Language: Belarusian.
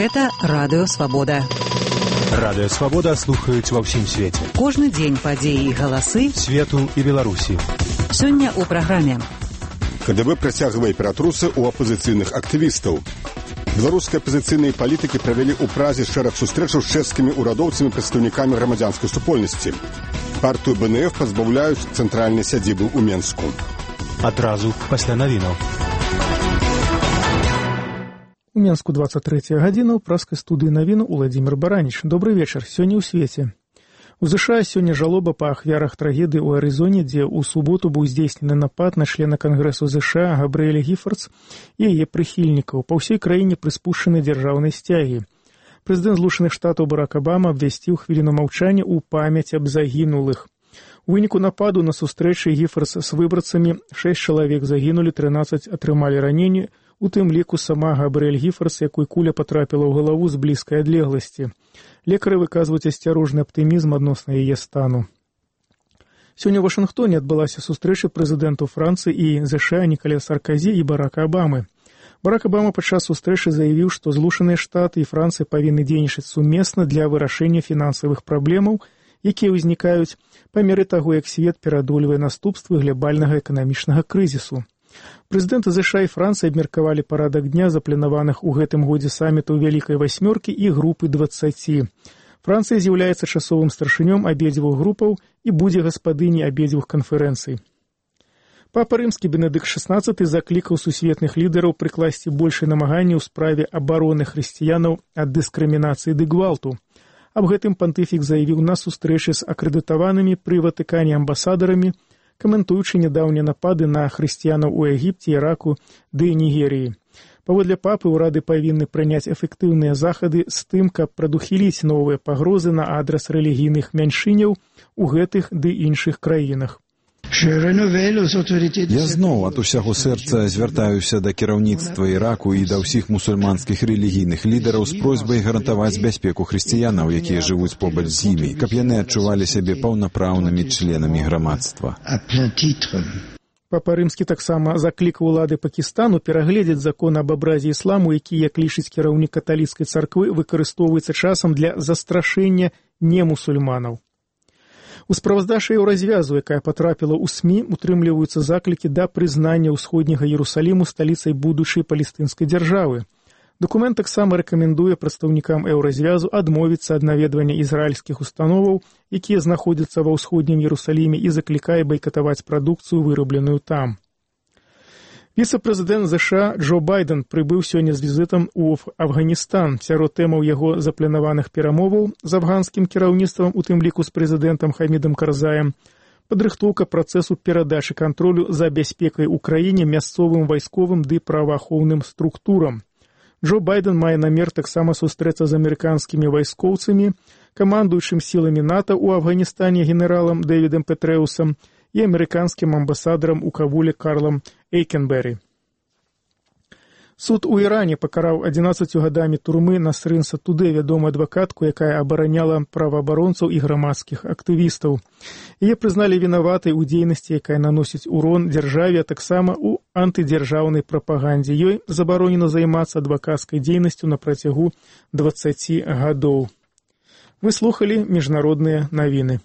Гэта Радыё Свабода. Радыё Свабода слухаюць ва ўсім свеце. Кожны дзень падзеі і галасы свету і Беларусі. Сёння ў праграме. КДБ працягвае ператрусы ў апазіцыйных актывістаў. Беларускія апазіцыйныя палітыкі правялі ў Празе шэраг сустрэчаў з чэшскімі ўрадоўцамі прадстаўнікамі грамадзянскай супольнасці. Партыю БНФ пазбаўляюць цэнтральнай сядзібы ў Менску. Адразу пасля навінаў. У Менску 23 гадзіна, у праскай студыі навіну Уладзімір Бараніч. Добры вечар, сёння ў свеце. У США сёння жалоба па ахвярах трагедыі ў Арызоне, дзе ў суботу быў здзейснены напад на члена Кангрэсу США Габрыэля Гіфардс і яе прыхільнікаў. Па ўсёй краіне прыспушчаны дзяржаўнай сцягі. Прэзідэнт Злучаных Штатаў Барак Абама абвясціў хвіліну маўчання ў памяць аб загінулых. У выніку нападу на сустрэчы Гіфардс з выбарцамі 6 чалавек загінулі, 13 атрымалі раненні, у тым ліку сама Габрыэль Гіфардс, якой куля патрапіла ў галаву з блізкай адлегласці. Лекары выказваюць асцярожны аптымізм адносна яе стану. Сёння ў Вашынгтоне адбылася сустрэча прэзідэнтаў Францыі і ЗША Нікаля Сарказі і Барака Абамы. Барак Абама падчас сустрэчы заявіў, што Злучаныя Штаты і Францыя павінны дзейнічаць сумесна для вырашэння фінансавых праблемаў, якія ўзнікаюць па меры таго, як свет пераадольвае наступствы глабальнага эканамічнага крызісу. Прэзідэнты ЗША і Францыі абмеркавалі парадак дня запланаваных у гэтым годзе самітаў Вялікай Васьмёркі і групы 20. Францыя з'яўляецца часовым старшынём абедзвюх групаў і будзе гаспадыняй абедзвюх канферэнцый. Папа Рымскі Бенедыкт XVI заклікаў сусветных лідараў прыкласці большыя намаганні ў справе абароны хрысціянаў ад дыскрымінацыі ды гвалту. Аб гэтым пантыфік заявіў на сустрэчы з акрэдытаванымі пры Ватыкане амбасадарамі, каментуючы нядаўнія напады на хрысціянаў у Егіпце, Іраку ды Нігерыі. Паводле папы ўрады павінны прыняць эфектыўныя захады з тым, каб прадухіліць новыя пагрозы на адрас рэлігійных мяншыняў у гэтых ды іншых краінах. Я зноў ад усяго сэрца звяртаюся да кіраўніцтва Іраку і да ўсіх мусульманскіх рэлігійных лідараў з просьбай гарантаваць бяспеку хрысціянаў, якія жывуць побач з імі, каб яны адчувалі сябе паўнапраўнымі членамі грамадства. Папа Рымскі таксама заклікаў улады Пакістану перагледзець закон аб абразе ісламу, які, як лічыць кіраўнік каталіцкай царквы, выкарыстоўваецца часам для застрашэння немусульманаў. У справаздачы Еўразвязу, якая патрапіла ў СМІ, утрымліваюцца заклікі да прызнання ўсходняга Іерусаліму сталіцай будучай палестынскай дзяржавы. Дакумент таксама рэкамендуе прадстаўнікам Еўразвязу адмовіцца ад наведвання ізраільскіх установаў, якія знаходзяцца ва ўсходнім Іерусаліме, і заклікае байкатаваць прадукцыю, вырабленую там. Віцэ-прэзідэнт ЗША Джо Байден прыбыў сёння з візітам у Афганістан. Сярод тэмаў яго запланаваных перамоваў з афганскім кіраўніцтвам, у тым ліку з прэзідэнтам Хамідам Карзаем, падрыхтоўка працэсу перадачы кантролю за бяспекай у краіне мясцовым вайсковым ды праваахоўным структурам. Джо Байден мае намер таксама сустрэцца з амерыканскімі вайскоўцамі, камандуючым сіламі НАТО ў Афганістане генералам Дэвідам Петрэусам і амерыканскім амбасадарам у Кабуле Карлам Эйкенберы. Суд у Іране пакараў 11 гадамі турмы Насрын Сатудэ, вядомую адвакатку, якая абараняла праваабаронцаў і грамадскіх актывістаў. Яе прызналі вінаватай у дзейнасці, якая наносіць урон дзяржаве, а таксама ў антыдзяржаўнай прапагандзе. Ёй забаронена займацца адвакацкай дзейнасцю на працягу 20 гадоў. Вы слухалі міжнародныя навіны.